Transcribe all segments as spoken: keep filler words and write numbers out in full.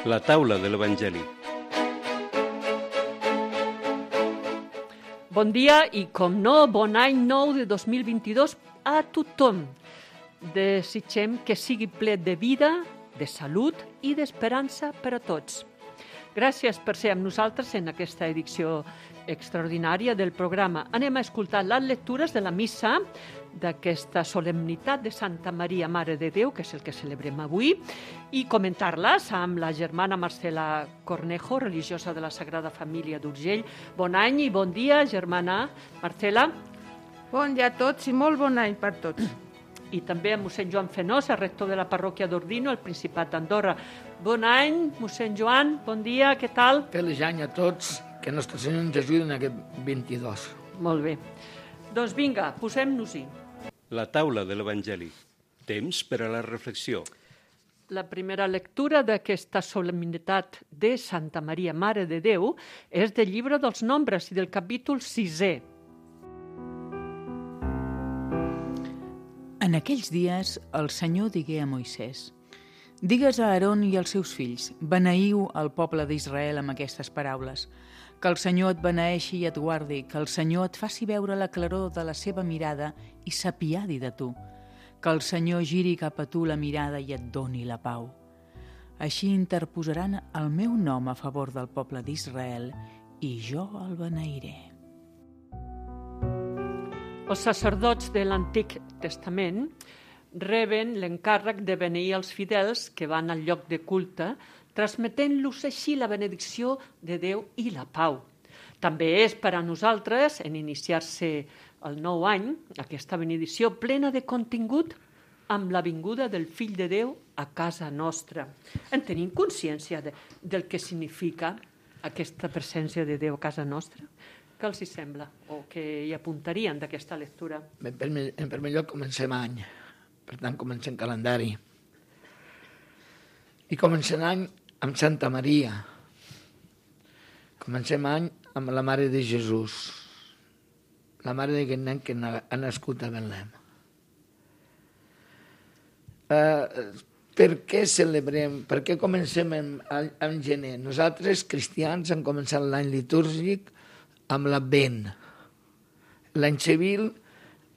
La taula de l'Evangeli. Bon dia i, com no, bon any nou de dos mil vint-i-dos a tothom. Desitgem que sigui ple de vida, de salut i d'esperança per a tots. Gràcies per ser amb nosaltres en aquesta edició extraordinària del programa. Anem a escoltar les lectures de la missa d'aquesta solemnitat de Santa Maria, Mare de Déu, que és el que celebrem avui, i comentar-les amb la germana Marcela Cornejo, religiosa de la Sagrada Família d'Urgell. Bon any i bon dia, germana Marcela. Bon dia a tots i molt bon any per tots. I també a mossèn Joan Fenosa, rector de la parròquia d'Ordino, al Principat d'Andorra. Bon any, mossèn Joan, bon dia, què tal? Feliç any a tots, que Nostre Senyor ens ajudi en aquest vint-i-dos. Molt bé. Doncs vinga, posem-nos-hi. La taula de l'Evangeli. Temps per a la reflexió. La primera lectura d'aquesta solemnitat de Santa Maria, Mare de Déu, és del llibre dels Nombres i del capítol sisè. En aquells dies el Senyor digué a Moisès: «Digues a Aaron i als seus fills, beneïu el poble d'Israel amb aquestes paraules. Que el Senyor et beneeixi i et guardi, que el Senyor et faci veure la claror de la seva mirada i s'apiadi de tu. Que el Senyor giri cap a tu la mirada i et doni la pau. Així interposaran el meu nom a favor del poble d'Israel i jo el beneiré». Els sacerdots de l'Antic Testament reben l'encàrrec de beneir els fidels que van al lloc de culte, transmetent-los així la benedicció de Déu i la pau. També és per a nosaltres, en iniciar-se el nou any, aquesta benedicció plena de contingut amb la vinguda del Fill de Déu a casa nostra. En tenim consciència de, del que significa aquesta presència de Déu a casa nostra? Què els hi sembla? O què hi apuntarien d'aquesta lectura? En primer, en primer lloc comencem any, per tant comencem calendari. I comencem any amb Santa Maria. Comencem any amb la Mare de Jesús, la mare d'aquest nen que ha nascut a Betlem. Uh, per què celebrem, per què comencem en, en gener? Nosaltres, cristians, hem començat l'any litúrgic amb l'Advent. L'any civil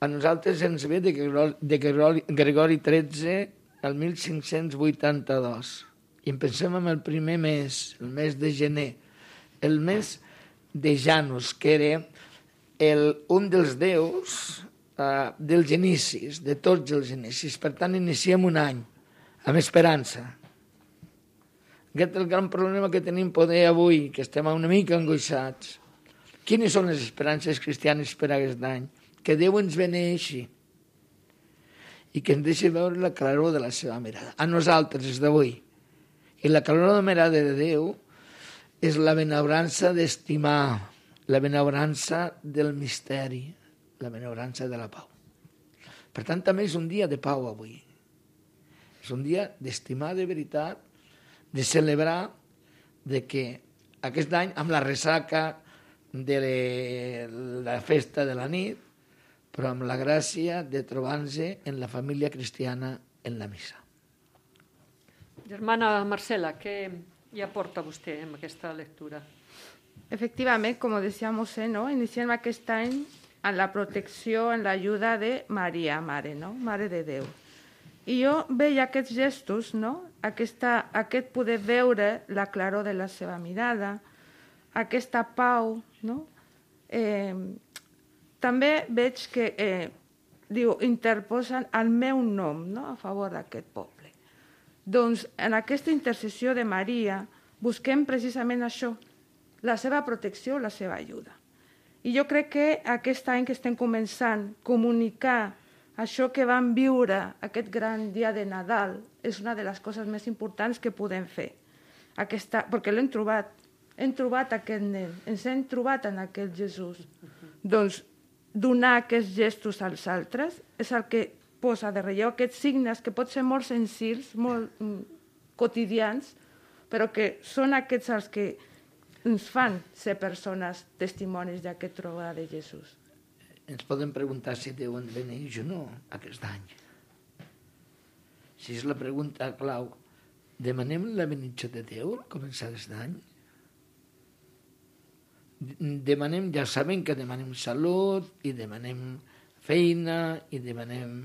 a nosaltres ens ve de Gregori, de Gregori, Gregori tretze el mil cinc-cents vuitanta-dos. I en pensem en el primer mes, el mes de gener, el mes de Janus, que era el, un dels déus uh, dels inicis, de tots els inicis. Per tant, iniciem un any amb esperança. Aquest és el gran problema que tenim poder avui, que estem una mica angoixats. Quines són les esperances cristianes per a aquest any? Que Déu ens beneixi i que ens deixi veure la claror de la seva mirada. A nosaltres, des d'avui. I la claror de la mirada de Déu és la benaurança d'estimar, la benaurança del misteri, la benaurança de la pau. Per tant, també és un dia de pau avui. És un dia d'estimar de veritat, de celebrar de que aquest any, amb la ressaca de la festa de la nit, però amb la gràcia de trobar-nos en la família cristiana en la missa. Germana Marcela, què hi aporta vostè en aquesta lectura? Efectivament, com decía Mossèn, ¿no? Iniciem aquest any en la protecció, en l'ajuda de Maria, Mare, no? Mare de Déu. I jo veia aquests gestos, no? Aquesta, aquest poder veure la claror de la seva mirada, aquesta pau, no? Eh, també veig que eh, diu, interposen el meu nom, no? A favor d'aquest poble. Doncs en aquesta intercessió de Maria busquem precisament això, la seva protecció, la seva ajuda. I jo crec que aquest any que estem començant, comunicar això que vam viure, aquest gran dia de Nadal, és una de les coses més importants que podem fer. Aquesta, perquè l'hem trobat, hem trobat aquest nen, ens hem trobat en aquest Jesús. Doncs donar aquests gestos als altres és el que posa de relleu aquests signes que pot ser molt senzills, molt mm, quotidians, però que són aquests els que ens fan ser persones testimonis d'aquest trobada de Jesús. Ens podem preguntar si Déu ens beneix o no aquest any. Si és la pregunta clau, demanem la benedicció de Déu al començar l'any? Demanem, ja sabem que demanem salut, i demanem feina, i demanem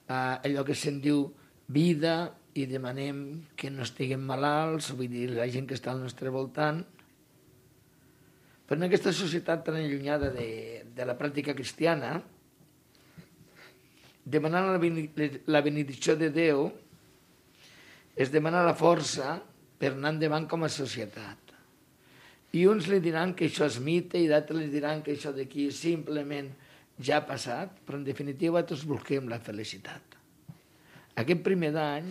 uh, allò que se'n diu vida, i demanem que no estiguem malalts, vull dir, la gent que està al nostre voltant. Però en aquesta societat tan allunyada de, de la pràctica cristiana, demanar la, la benedicció de Déu és demanar la força per anar endavant com a societat. I uns li diran que això és mite i d'altres li diran que això d'aquí simplement ja ha passat, però en definitiva tots busquem la felicitat. Aquest primer d'any,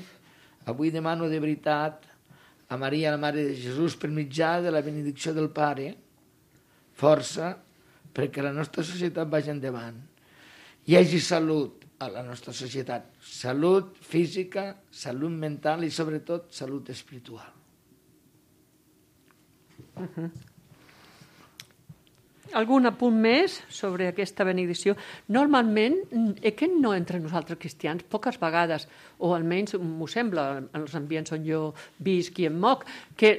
avui demano de veritat a Maria, la Mare de Jesús, per mitjà de la benedicció del Pare, força perquè la nostra societat vagi endavant. Hi hagi salut a la nostra societat, salut física, salut mental i sobretot salut espiritual. Uh-huh. Algun apunt més sobre aquesta benedicció? Normalment, és que no entre nosaltres cristians, poques vegades, o almenys m'ho sembla, en els ambients on jo visc i em moc, que,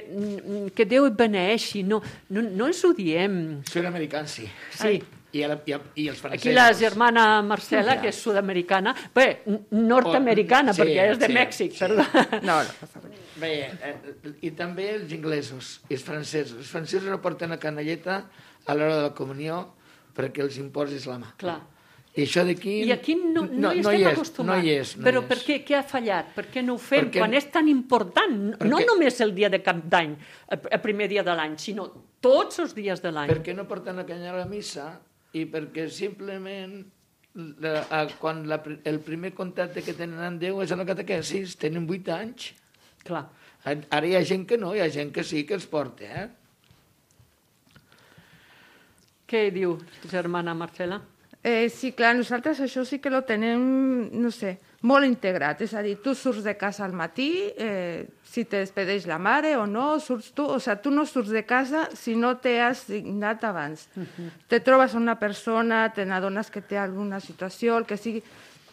que Déu et beneeixi, no, no, no ens ho diem. Soy americà, sí. Sí. I, el, i, el, i els francesos. Aquí la germana Marcela, que és sud-americana, bé, nord-americana, sí, perquè és de sí, Mèxic, sí. perdó. No, no passa res. Bé, eh, i també els inglesos i els francesos. Els francesos no porten la canalleta a l'hora de la comunió perquè els imposis la mà. Clar. I això d'aquí... I aquí no, no, no hi estem no hi és, acostumats. No hi és, no Però hi és. per què? Què ha fallat? Per què no ho fem Perquè... quan és tan important? Perquè... No només el dia de Cap d'Any, el primer dia de l'any, sinó tots els dies de l'any. Perquè no porten la canya a la missa i perquè simplement la, a, quan la, el primer contacte que tenen amb Déu és a la catequesis, tenen vuit anys. Clar. Ara hi ha gent que no, hi ha gent que sí que els porta, eh? Què diu, germana Marcela? Eh, sí, clar, nosaltres això sí que lo tenem, no sé, molt integrat. És a dir, tu surts de casa al matí, eh, si te despedeix la mare o no, surts tu, o sigui, tu no surts de casa si no te has signat abans. Uh-huh. Te trobes una persona, te n'adones que té alguna situació, el que sigui,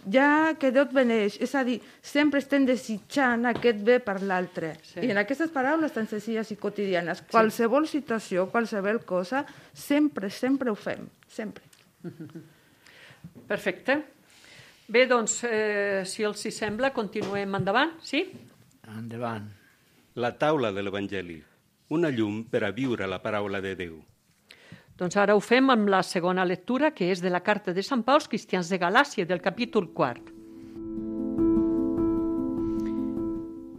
ja que Déu et beneix. És a dir, sempre estem desitjant aquest bé per l'altre. Sí. I en aquestes paraules tan senzilles i quotidianes, sí. Qualsevol situació, qualsevol cosa, sempre, sempre ho fem, sempre. Perfecte. Bé, doncs, eh, si els hi sembla, continuem endavant, sí? Endavant. La taula de l'Evangeli, una llum per a viure la paraula de Déu. Doncs ara ho fem amb la segona lectura, que és de la carta de Sant Pau als cristians de Galàcia, del capítol quart.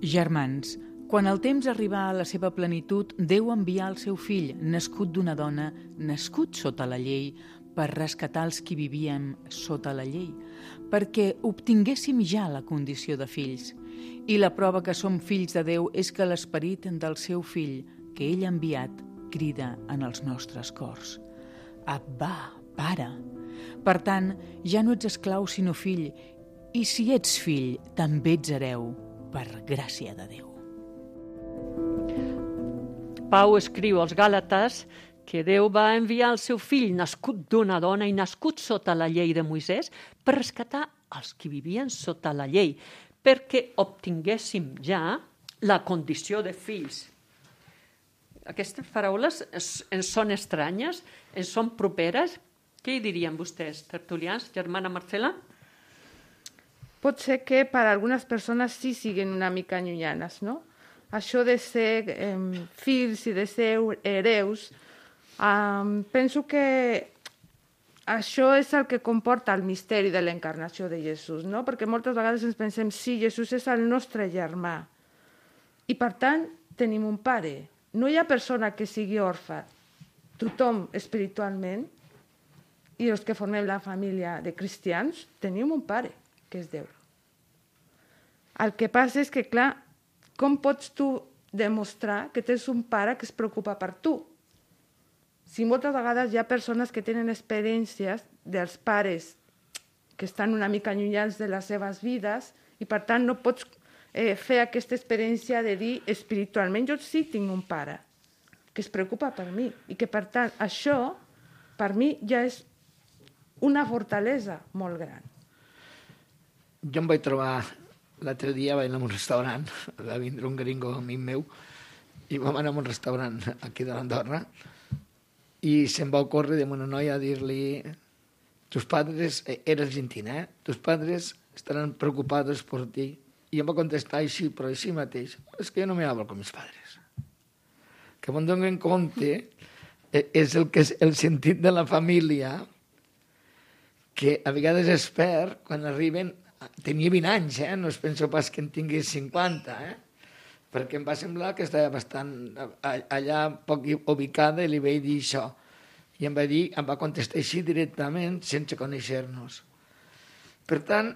Germans, quan el temps arribà a la seva plenitud, Déu envià el seu fill, nascut d'una dona, nascut sota la llei, per rescatar els qui vivíem sota la llei, perquè obtinguéssim ja la condició de fills. I la prova que som fills de Déu és que l'esperit del seu fill, que ell ha enviat, crida en els nostres cors. Abba, pare. Per tant, ja no ets esclau sinó fill, i si ets fill, també ets hereu, per gràcia de Déu. Pau escriu als Gàlates que Déu va enviar el seu fill, nascut d'una dona i nascut sota la llei de Moisès, per rescatar els que vivien sota la llei, perquè obtinguéssim ja la condició de fills. Aquestes paraules ens són estranyes, ens són properes. Què hi dirien vostès, tertulians? Germana Marcela? Pot ser que per a algunes persones sí siguin una mica llunyanes, no? Això de ser eh, fills i de ser hereus, Um, penso que això és el que comporta el misteri de l'encarnació de Jesús, no? Perquè moltes vegades ens pensem, sí, Jesús és el nostre germà i per tant tenim un pare. No hi ha persona que sigui orfa. Tothom espiritualment i els que formem la família de cristians tenim un pare, que és Déu. El que passa és que, clar, com pots tu demostrar que tens un pare que es preocupa per tu? Si moltes vegades hi ha persones que tenen experiències dels pares que estan una mica allunyats de les seves vides i per tant no pots eh, fer aquesta experiència de dir espiritualment jo sí tinc un pare que es preocupa per mi i que per tant això per mi ja és una fortalesa molt gran. Jo em vaig trobar l'altre dia vaig anar a un restaurant, va vindre un gringo amic meu, i vam anar a un restaurant aquí de l'Andorra, i se'm va ocórrer de una noia a dir-li: tus padres, era argentina, eh? Tus padres estarán preocupados por ti. I em va contestar així, però així mateix: és que jo no me hablo con mis padres. Que me'n dono en compte és el, que és el sentit de la família, que a vegades es perd quan arriben... Tenia vint anys, eh? No es penso pas que en tingués cinquanta, eh? Perquè em va semblar que estava bastant allà poc ubicada i li vaig dir això. I em va dir, em va contestar així directament, sense conèixer-nos. Per tant,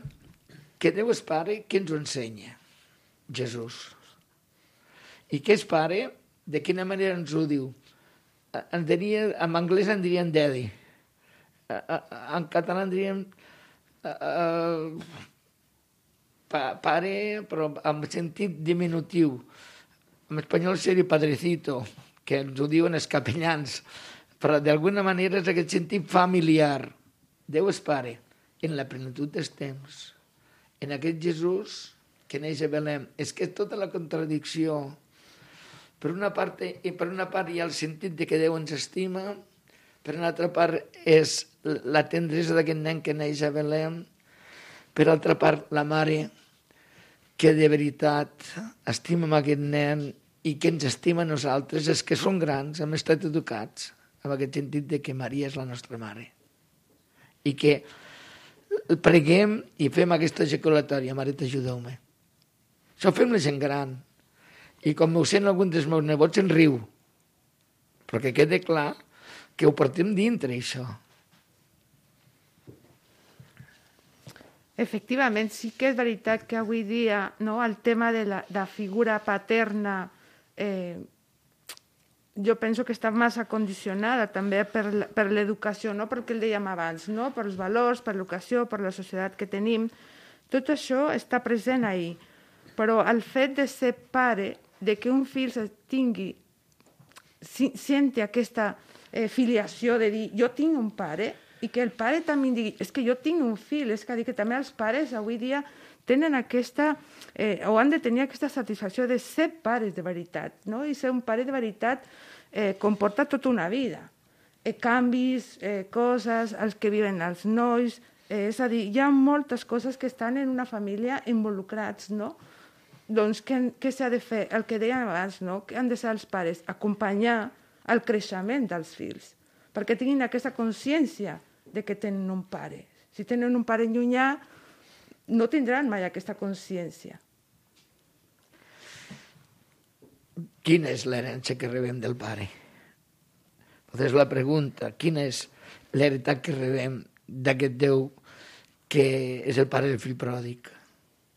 que Déu és pare, qui ens ho ensenya? Jesús. I què és pare? De quina manera ens ho diu? En, diria, en anglès en dirien daddy. En català en diríem uh, pa, pare, però en sentit diminutiu. En espanyol seria padrecito, que ens ho diuen els capellans, però d'alguna manera és aquest sentit familiar. Déu és pare, en la plenitud dels temps, en aquest Jesús que neix a Belém. És que tota la contradicció, per una part, i per una part hi ha el sentit de que Déu ens estima, per una altra part és la tendresa d'aquest nen que neix a Belém, per altra part la mare que de veritat estima aquest nen i que ens estima a nosaltres, és que som grans, hem estat educats amb aquest sentit de que Maria és la nostra mare. I que preguem i fem aquesta ejaculatòria: Mare, t'ajudeu-me. Això ho fem la gent gran. I com ho sent algun dels meus nebots, en riu. Però que quede clar que ho portem dintre, això. Efectivament, sí que és veritat que avui dia, no, el tema de la, de la figura paterna eh, jo penso que està massa condicionada també per, per l'educació, no? Perquè el dèiem abans, no? Per els valors, per l'educació, per la societat que tenim. Tot això està present ahí. Però el fet de ser pare, de que un fill tingui, senti aquesta eh, filiació de dir jo tinc un pare, i que el pare també digui és que jo tinc un fill, és que, dir que també els pares avui dia tenen aquesta, eh, o han de tenir aquesta satisfacció de ser pares de veritat, no? I ser un pare de veritat eh, comporta tota una vida. Eh, canvis, eh, coses, els que viven els nois, eh, és a dir, hi ha moltes coses que estan en una família involucrats, no? Doncs què, què s'ha de fer? El que dèiem abans, no? Que han de ser els pares, acompanyar el creixement dels fills, perquè tinguin aquesta consciència de que tenen un pare. Si tenen un pare llunyà, no tindran mai aquesta consciència. Quina és l'herència que rebem del pare? És la pregunta. Quina és l'heretat que rebem d'aquest Déu que és el pare del fill pròdig?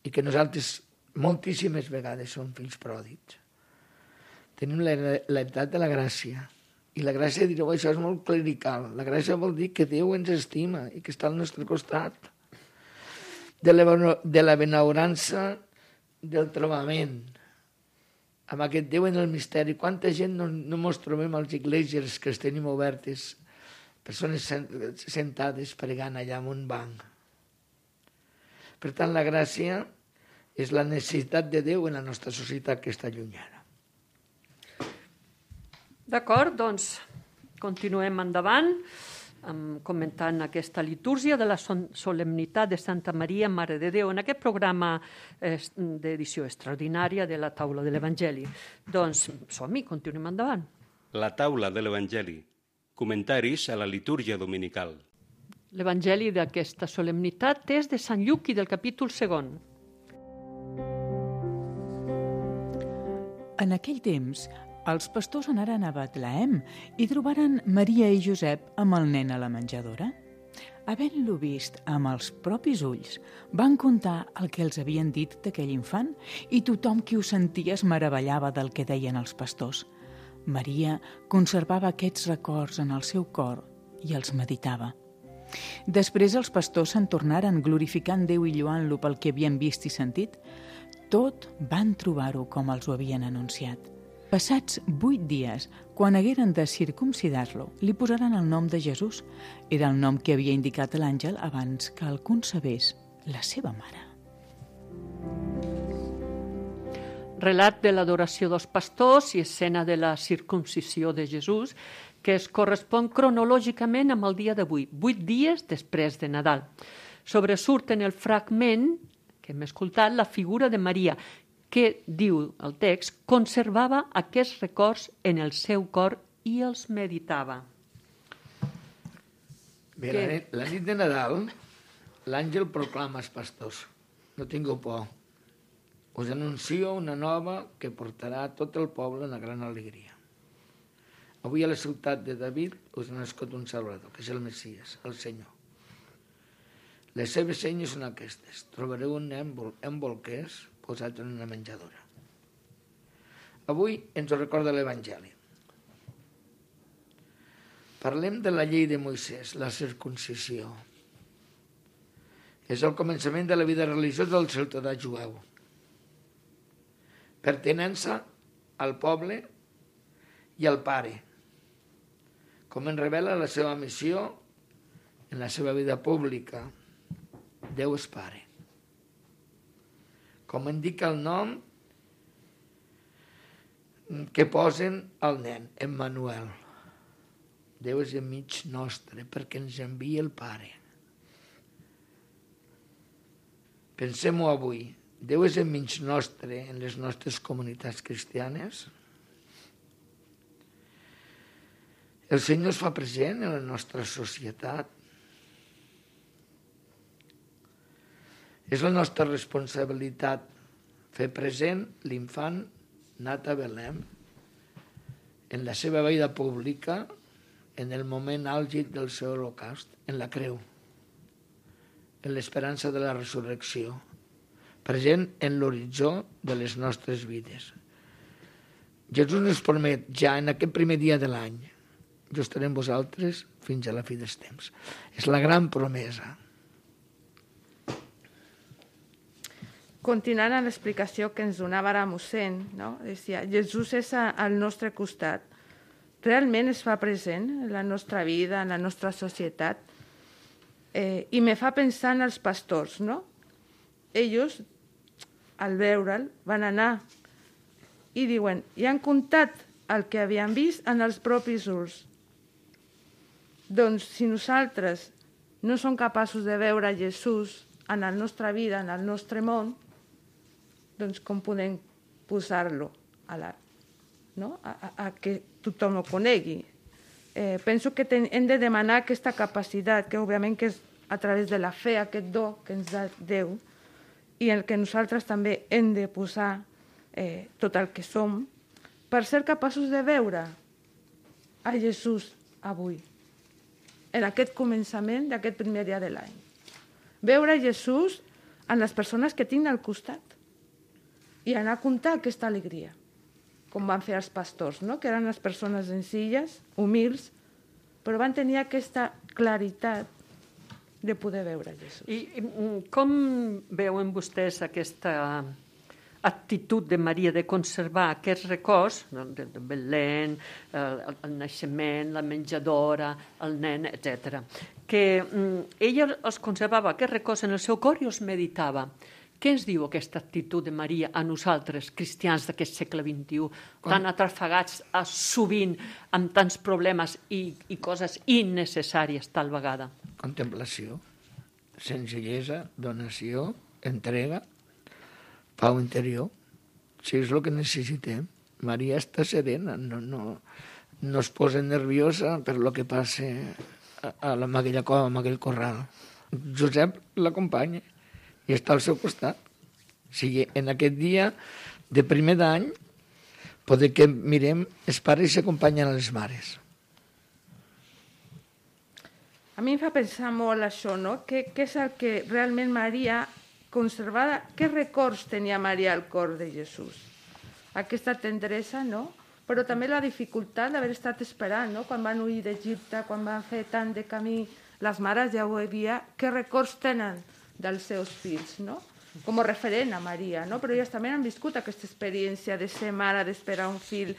I que nosaltres moltíssimes vegades som fills pròdigs. Tenim l'heretat de la gràcia. I la gràcia, direu, això és molt clerical. La gràcia vol dir que Déu ens estima i que està al nostre costat. De la, de la benaurança del trobament amb aquest Déu en el misteri. Quanta gent no, no mos trobem als iglesias que els tenim obertes, persones sentades pregant allà en un banc. Per tant, la gràcia és la necessitat de Déu en la nostra societat que està llunyana. D'acord, doncs continuem endavant comentant aquesta litúrgia de la solemnitat de Santa Maria, Mare de Déu, en aquest programa d'edició extraordinària de la Taula de l'Evangeli. Doncs som-hi, continuem endavant. La Taula de l'Evangeli. Comentaris a la litúrgia dominical. L'Evangeli d'aquesta solemnitat és de Sant Lluc i del capítol segon. En aquell temps, els pastors anaren a Betlehem i trobaren Maria i Josep amb el nen a la menjadora. Havent-lo vist amb els propis ulls, van contar el que els havien dit d'aquell infant i tothom qui ho sentia es meravellava del que deien els pastors. Maria conservava aquests records en el seu cor i els meditava. Després els pastors se'n tornaren glorificant Déu i lloant-lo pel que havien vist i sentit. Tot van trobar-ho com els ho havien anunciat. Passats vuit dies, quan hagueren de circumcidar-lo, li posaren el nom de Jesús. Era el nom que havia indicat l'àngel abans que el concebés la seva mare. relat de l'adoració dels pastors i escena de la circuncisió de Jesús, que es correspon cronològicament amb el dia d'avui, vuit dies després de Nadal. Sobresurt en el fragment que hem escoltat la figura de Maria, que, diu el text, conservava aquests records en el seu cor i els meditava. Bé, la nit, la nit de Nadal, l'àngel proclama als pastors: no tingueu por, us anuncio una nova que portarà a tot el poble una gran alegria. Avui a la ciutat de David us ha nascut un Salvador, que és el Messies, el Senyor. Les seves senyes són aquestes: trobareu un nen en bolquers posat en una menjadora. Avui ens ho recorda l'Evangeli. Parlem de la llei de Moisès, la circuncisió. És el començament de la vida religiosa del ciutadà jueu. Pertinença al poble i al pare, com en revela la seva missió en la seva vida pública. Déu és pare. Com indica el nom que posen al nen, Emmanuel. Déu és enmig nostre perquè ens envia el Pare. Pensem-ho avui. Déu és enmig nostre en les nostres comunitats cristianes. El Senyor es fa present en la nostra societat. És la nostra responsabilitat fer present l'infant nat a Belém en la seva vida pública, en el moment àlgid del seu holocaust, en la creu, en l'esperança de la resurrecció, present en l'horitzó de les nostres vides. Jesús ens promet ja en aquest primer dia de l'any: jo estaré amb vosaltres fins a la fi dels temps. És la gran promesa. Continuant amb l'explicació que ens donava ara mossèn, no? Deia, Jesús és al nostre costat. Realment es fa present en la nostra vida, en la nostra societat. Eh, I me fa pensar en els pastors, no? Ells, al veure'l, van anar i diuen, i han comptat el que havien vist en els propis ulls. Doncs si nosaltres no som capaços de veure Jesús en la nostra vida, en el nostre món, doncs com podem posar-lo a, la, no? a, a, a que tothom ho conegui. Eh, penso que ten, hem de demanar aquesta capacitat, que òbviament que és a través de la fe, aquest do que ens da Déu, i el que nosaltres també hem de posar eh, tot el que som, per ser capaços de veure a Jesús avui, en aquest començament d'aquest primer dia de l'any. Veure Jesús en les persones que tinc al costat i anar a comptar aquesta alegria, com van fer els pastors, no? Que eren les persones senzilles, humils, però van tenir aquesta claritat de poder veure Jesús. I, i com veuen vostès aquesta actitud de Maria de conservar aquests records, el de Belén, el, el naixement, la menjadora, el nen, etcètera, que mm, ella els conservava aquests records en el seu cor i els meditava. Què ens diu aquesta actitud de Maria a nosaltres, cristians d'aquest segle vint-i-u, tan atrafegats a, sovint amb tants problemes i, i coses innecessàries tal vegada? Contemplació, senzillesa, donació, entrega, pau interior. Si és el que necessitem. Maria està serena, no, no, no es posa nerviosa per lo que passa a, a, la, a aquella cova, a aquell corral. Josep l'acompanya i està al seu costat. O sigui, en aquest dia de primer d'any, poder que mirem, els pares s'acompanyen a les mares. A mi em fa pensar molt això, no? Què, què és el que realment Maria conservava, què records tenia Maria al cor de Jesús? Aquesta tendresa, no? Però també la dificultat d'haver estat esperant, no? Quan van huir d'Egipte, quan van fer tant de camí, les mares ja ho havia, què records tenen dels seus fills, no? Com a referent a Maria, no? Però elles també han viscut aquesta experiència de ser mare, d'esperar un fill.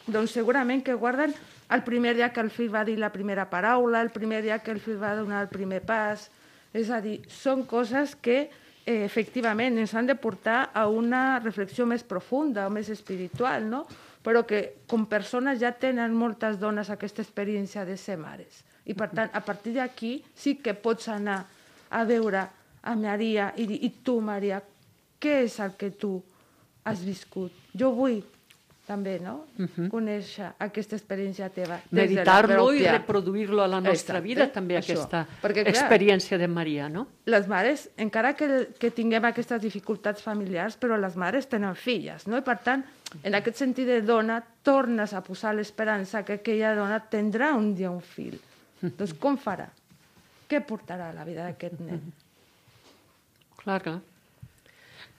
Doncs segurament que guarden el primer dia que el fill va dir la primera paraula, el primer dia que el fill va donar el primer pas. És a dir, són coses que eh, efectivament ens han de portar a una reflexió més profunda o més espiritual, no? Però que com persones ja tenen moltes dones aquesta experiència de ser mares. I per tant, a partir d'aquí sí que pots anar a veure a Maria i dir, i tu, Maria, què és el que tu has viscut? Jo vull també, no? Uh-huh. Conèixer aquesta experiència teva. Meditar-lo i reproduir-lo a la nostra Exacte, vida, també, això. aquesta Perquè, clar, experiència de Maria, no? Les mares, encara que, que tinguem aquestes dificultats familiars, però les mares tenen filles, no? I per tant, en aquest sentit de dona, tornes a posar l'esperança que aquella dona tindrà un dia un fill. Doncs com farà? Què portarà a la vida d'aquest nen? Clar, clar.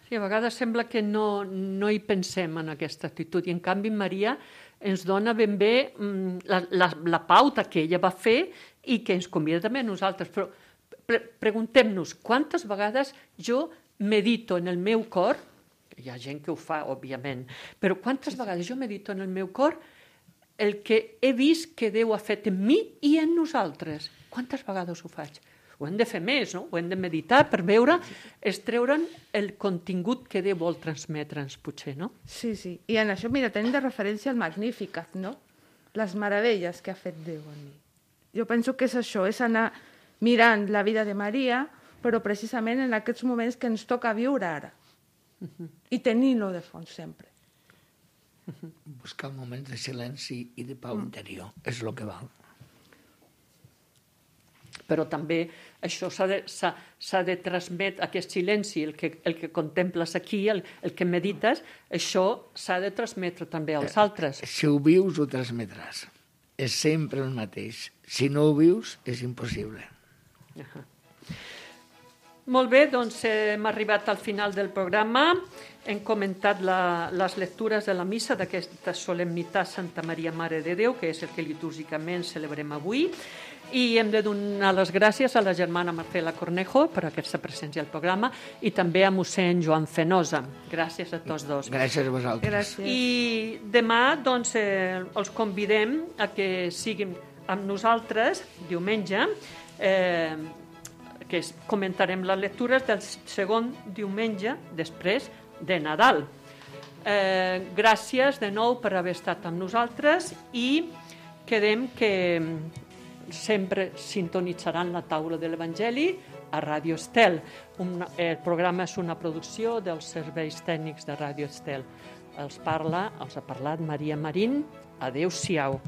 Sí, a vegades sembla que no, no hi pensem en aquesta actitud i en canvi Maria ens dona ben bé mm, la, la, la pauta que ella va fer i que ens convida també a nosaltres. Però pre preguntem-nos quantes vegades jo medito en el meu cor, hi ha gent que ho fa, òbviament, però quantes vegades jo medito en el meu cor el que he vist que Déu ha fet en mi i en nosaltres. Quantes vegades ho faig? Ho hem de fer més, no? Ho hem de meditar per veure, extreure'n el contingut que Déu vol transmetre'ns, potser, no? Sí, sí. I en això, mira, tenim de referència el Magnificat, no? Les meravelles que ha fet Déu en mi. Jo penso que és això, és anar mirant la vida de Maria, però precisament en aquests moments que ens toca viure ara. Uh-huh. I tenir-lo de fons sempre. Uh-huh. Buscar moments de silenci i de pau mm. interior, és el que val. Però també això s'ha de, de transmetre, aquest silenci, el que, el que contemples aquí, el, el que medites, això s'ha de transmetre també als altres. Si ho vius, ho transmetràs. És sempre el mateix. Si no ho vius, és impossible. Uh-huh. Molt bé, doncs hem arribat al final del programa. Hem comentat la, les lectures de la missa d'aquesta solemnitat Santa Maria Mare de Déu, que és el que litúrgicament celebrem avui. I hem de donar les gràcies a la germana Marcela Cornejo per aquesta presència al programa i també a mossèn Joan Fenosa. Gràcies a tots dos. Gràcies a vosaltres. Gràcies. I demà doncs, eh, els convidem a que siguin amb nosaltres diumenge, eh, que comentarem les lectures del segon diumenge després de Nadal. Eh, gràcies de nou per haver estat amb nosaltres i quedem que sempre sintonitzaran la taula de l'Evangeli a Ràdio Estel. Un, el programa és una producció dels serveis tècnics de Ràdio Estel. Els parla, els ha parlat Maria Marín. Adéu-siau.